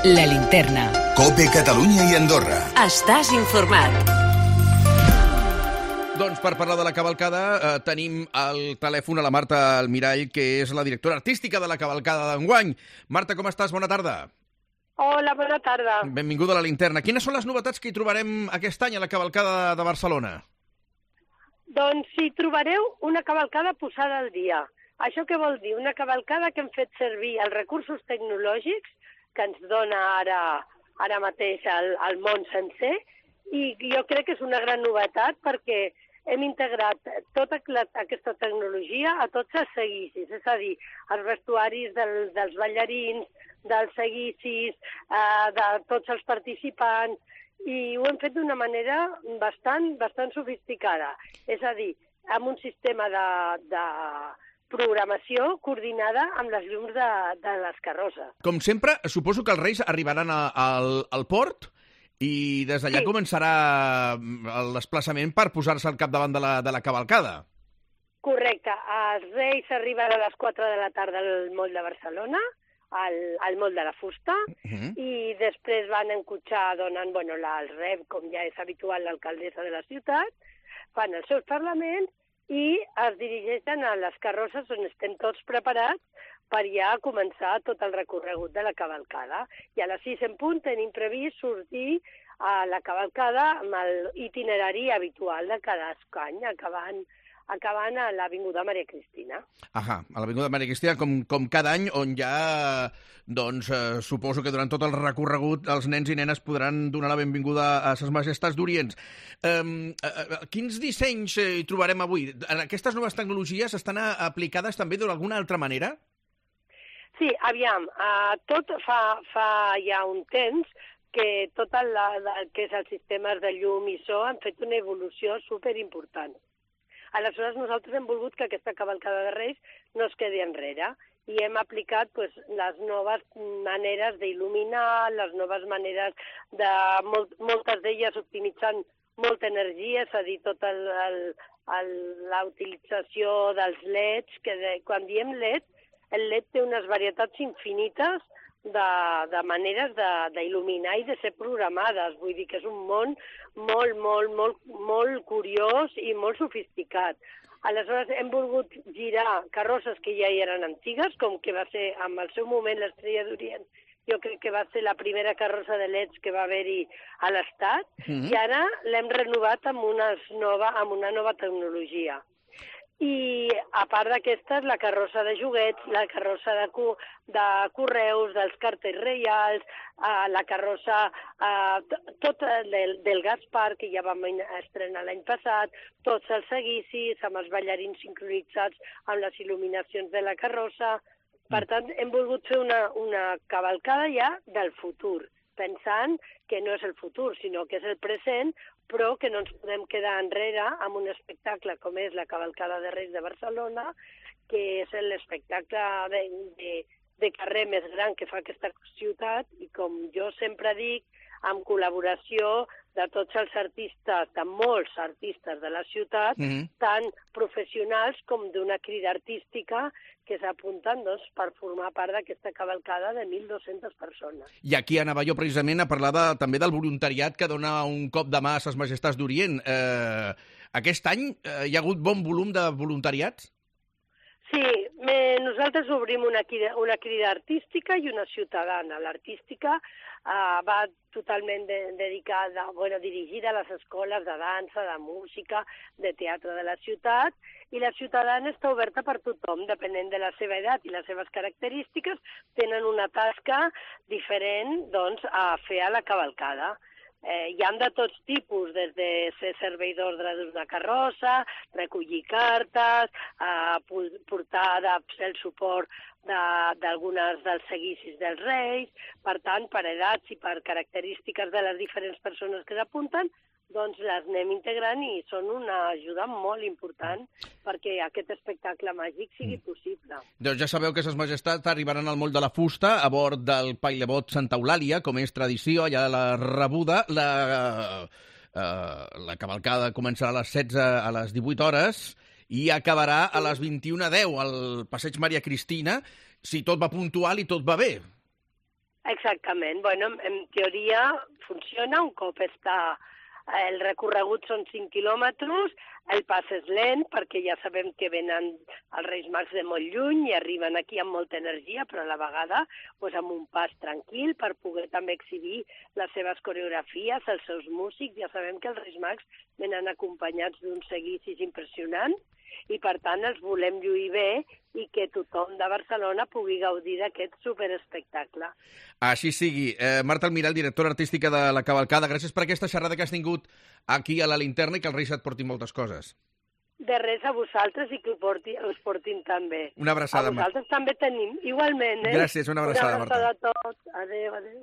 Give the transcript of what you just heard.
La Linterna. COPE Catalunya i Andorra. Estàs informat. Doncs per parlar de la cavalcada tenim al telèfon a la Marta Almirall, que és la directora artística de la cavalcada d'enguany. Marta, com estàs? Bona tarda. Hola, bona tarda. Benvinguda a la Linterna. Quines són les novetats que hi trobarem aquest any a la cavalcada de Barcelona? Doncs hi trobareu una cavalcada posada al dia. Això què vol dir? Una cavalcada que hem fet servir els recursos tecnològics que ens dona ara mateix el món sencer, i jo crec que és una gran novetat perquè hem integrat tota aquesta tecnologia a tots els seguicis, és a dir, els vestuaris dels ballarins, dels seguicis, de tots els participants, i ho hem fet d'una manera bastant sofisticada, és a dir, amb un sistema de programació coordinada amb les llums de les carrosses. Com sempre, suposo que els Reis arribaran al port i des d'allà començarà el desplaçament per posar-se al capdavant de la cavalcada. Correcte. Els Reis arriben a les 4 de la tarda al Moll de Barcelona, al Moll de la Fusta, i després van en cotxe donant el rep, com ja és habitual, l'alcaldessa de la ciutat, fan els seus parlaments i es dirigeixen a les carrosses on estem tots preparats per ja començar tot el recorregut de la cavalcada. I a les 6 en punt tenim previst sortir a la cavalcada amb l'itinerari habitual de cada any, acabant a l'Avinguda Maria Cristina. A l'Avinguda Maria Cristina, com cada any, on ja, suposo que durant tot el recorregut els nens i nenes podran donar la benvinguda a Ses Majestats d'Orient. Quins dissenys hi trobarem avui? Aquestes noves tecnologies estan aplicades també d'alguna altra manera? Sí, aviam, tot fa ja un temps que tot el que és els sistemes de llum i so han fet una evolució superimportant. Aleshores, nosaltres hem volgut que aquesta cavalcada de Reis no es quedi enrere i hem aplicat les noves maneres d'il·luminar, les noves maneres de moltes d'elles optimitzant molta energia, és a dir, tota la utilització dels LEDs, que quan diem LED, el LED té unes varietats infinites de maneres d'il·luminar i de ser programades. Vull dir que és un món molt curiós i molt sofisticat. Aleshores, hem volgut girar carrosses que ja hi eren antigues, com que va ser, en el seu moment, l'Estrella d'Orient. Jo crec que va ser la primera carrossa de LEDs que va haver-hi a l'Estat, i ara l'hem renovat amb una nova tecnologia. I a part d'aquestes, la carrossa de joguets, la carrossa de correus, dels cartells reials, la carrossa del Gaspar, que ja vam estrenar l'any passat, tots els seguicis, amb els ballarins sincronitzats amb les il·luminacions de la carrossa. Per tant, hem volgut fer una cavalcada ja del futur, pensant que no és el futur, sinó que és el present, però que no ens podem quedar enrere amb un espectacle com és la Cavalcada de Reis de Barcelona, que és l'espectacle de carrer més gran que fa aquesta ciutat, i com jo sempre dic, amb col·laboració de tots els artistes, de molts artistes de la ciutat, tant professionals com d'una crida artística que s'apunten per formar part d'aquesta cavalcada de 1.200 persones. I aquí anava jo precisament a parlar també del voluntariat que dona un cop de mà a Ses Majestats d'Orient. Aquest any hi ha hagut bon volum de voluntariats? Sí, nosaltres obrim una crida artística i una ciutadana. L'artística va totalment dedicada, dirigida a les escoles de dansa, de música, de teatre de la ciutat, i la ciutadana està oberta per tothom, depenent de la seva edat i les seves característiques, tenen una tasca diferent a fer a la cavalcada. Hi ha de tots tipus, des de ser servei d'ordre d'una carrossa, recollir cartes, fer el suport d'algunes dels seguicis dels Reis. Per tant, per edats i per característiques de les diferents persones que s'apunten, doncs les anem integrant i són una ajuda molt important perquè aquest espectacle màgic sigui possible. Doncs ja sabeu que Ses Majestats arribaran al Moll de la Fusta a bord del pailebot Santa Eulàlia, com és tradició, allà a la rebuda. La cavalcada començarà a les 16 a les 18 hores i acabarà a les 21:10 al Passeig Maria Cristina, si tot va puntual i tot va bé. Exactament. Bueno, en teoria funciona un cop està... El recorregut són 5 quilòmetres, el pas és lent perquè ja sabem que venen els Reis Mags de molt lluny i arriben aquí amb molta energia, però a la vegada doncs, amb un pas tranquil per poder també exhibir les seves coreografies, els seus músics. Ja sabem que els Reis Mags venen acompanyats d'un seguicis impressionant i, per tant, els volem lluir bé i que tothom de Barcelona pugui gaudir d'aquest superespectacle. Així sigui. Marta Almirall, directora artística de la Cavalcada, gràcies per aquesta xerrada que has tingut aquí a la Linterna i que els Reis et portin moltes coses. De res a vosaltres i que us portin també. Una abraçada, A vosaltres també tenim, igualment. Gràcies, una abraçada, Marta. Una abraçada a tots. Adéu, adéu.